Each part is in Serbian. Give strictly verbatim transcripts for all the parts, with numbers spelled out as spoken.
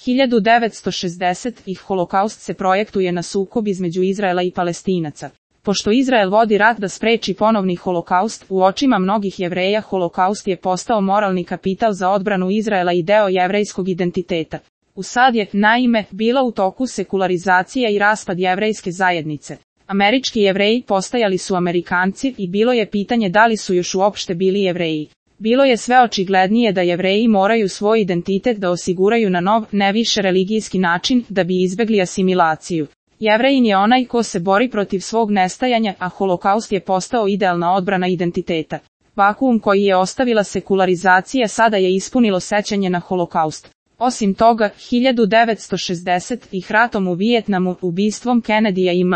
hiljadu devetsto šezdesetih Holokaust se projektuje na sukob između Izraela i Palestinaca. Pošto Izrael vodi rat da spreči ponovni holokaust, u očima mnogih Jevreja holokaust je postao moralni kapital za odbranu Izraela i deo jevrejskog identiteta. U sad je, naime, bila u toku sekularizacija i raspad jevrejske zajednice. Američki Jevreji postajali su Amerikanci i bilo je pitanje da li su još uopšte bili Jevreji. Bilo je sve očiglednije da Jevreji moraju svoj identitet da osiguraju na nov, ne više religijski način, da bi izbegli asimilaciju. Jevrejin je onaj ko se bori protiv svog nestajanja, a holokaust je postao idealna odbrana identiteta. Vakuum koji je ostavila sekularizacija sada je ispunilo sećanje na holokaust. Osim toga, hiljadu devetsto šezdesetih ratom u Vijetnamu, ubistvom Kennedyja i M.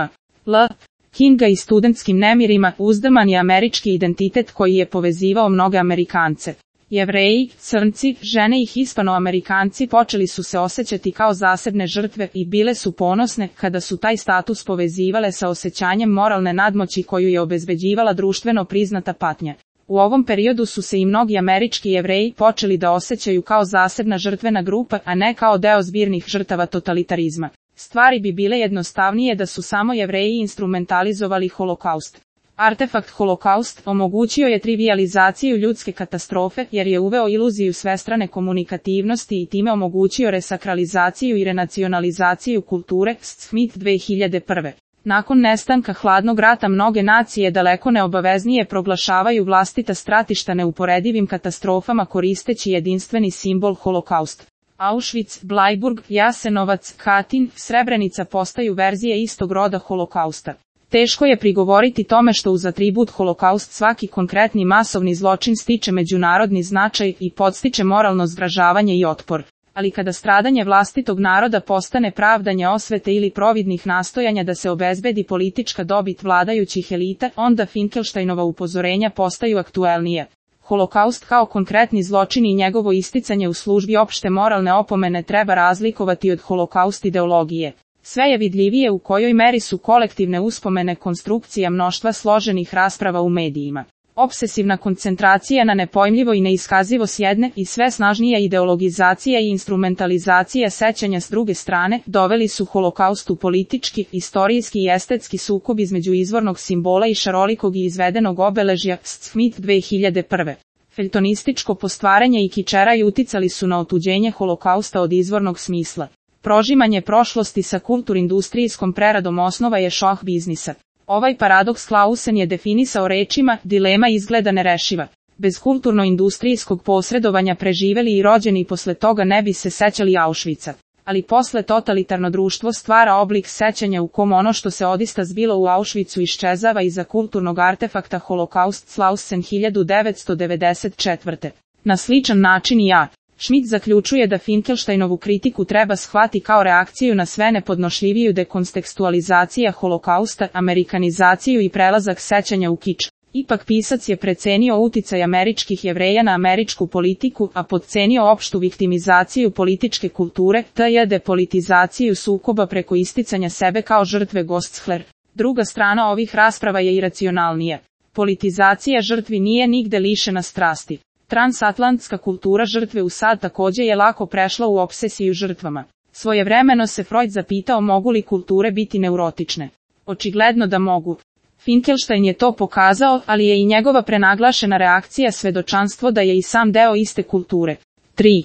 L. Kinga i studentskim nemirima, uzdrman je američki identitet koji je povezivao mnoge Amerikance. Jevreji, crnci, žene i hispanoamerikanci počeli su se osjećati kao zasebne žrtve i bile su ponosne kada su taj status povezivale sa osjećanjem moralne nadmoći koju je obezbeđivala društveno priznata patnja. U ovom periodu su se i mnogi američki Jevreji počeli da osjećaju kao zasebna žrtvena grupa, a ne kao deo zbirnih žrtava totalitarizma. Stvari bi bile jednostavnije da su samo Jevreji instrumentalizovali holokaust. Artefakt holokaust omogućio je trivijalizaciju ljudske katastrofe jer je uveo iluziju svestrane komunikativnosti i time omogućio resakralizaciju i renacionalizaciju kulture, Smith dve hiljade prve. Nakon nestanka hladnog rata mnoge nacije daleko neobaveznije proglašavaju vlastita stratišta neuporedivim katastrofama koristeći jedinstveni simbol holokaust. Auschwitz, Blajburg, Jasenovac, Katin, Srebrenica postaju verzije istog roda holokausta. Teško je prigovoriti tome što uz atribut holokaust svaki konkretni masovni zločin stiče međunarodni značaj i podstiče moralno zgražavanje i otpor. Ali kada stradanje vlastitog naroda postane pravdanje osvete ili providnih nastojanja da se obezbedi politička dobit vladajućih elita, onda Finkelsteinova upozorenja postaju aktuelnija. Holokaust kao konkretni zločin i njegovo isticanje u službi opšte moralne opomene treba razlikovati od holokaust ideologije. Sve je vidljivije u kojoj meri su kolektivne uspomene konstrukcija mnoštva složenih rasprava u medijima. Obsesivna koncentracija na nepojmljivo i neiskazivo s jedne i sve snažnija ideologizacija i instrumentalizacija sećanja s druge strane doveli su holokaust u politički, istorijski i estetski sukob između izvornog simbola i šarolikog i izvedenog obeležja, Smith dve hiljade prve. Feljtonističko postvaranje i kičeraj uticali su na otuđenje holokausta od izvornog smisla. Prožimanje prošlosti sa kulturindustrijskom preradom osnova je šoh biznisa. Ovaj paradoks Clausen je definisao rečima, dilema izgleda nerešiva. Bez kulturno-industrijskog posredovanja preživeli i rođeni posle toga ne bi se sećali Auschwitza. Ali posle totalitarno društvo stvara oblik sećanja u kom ono što se odista zbilo u Auschwitzu iščezava iza kulturnog artefakta holokaust Clausen hiljadu devetsto devedeset četvrte. Na sličan način i A. Schmidt zaključuje da Finkelsteinovu kritiku treba shvati kao reakciju na sve nepodnošljiviju dekontekstualizacija holokausta, amerikanizaciju i prelazak sećanja u kič. Ipak pisac je precenio uticaj američkih Jevreja na američku politiku, a podcenio opštu viktimizaciju političke kulture, tj. depolitizaciju sukoba preko isticanja sebe kao žrtve Gostscher. Druga strana ovih rasprava je iracionalnija. Politizacija žrtvi nije nigde lišena strasti. Transatlantska kultura žrtve u sad takođe je lako prešla u obsesiju žrtvama. Svojevremeno se Freud zapitao mogu li kulture biti neurotične. Očigledno da mogu. Finkelstein je to pokazao, ali je i njegova prenaglašena reakcija svedočanstvo da je i sam deo iste kulture. tri.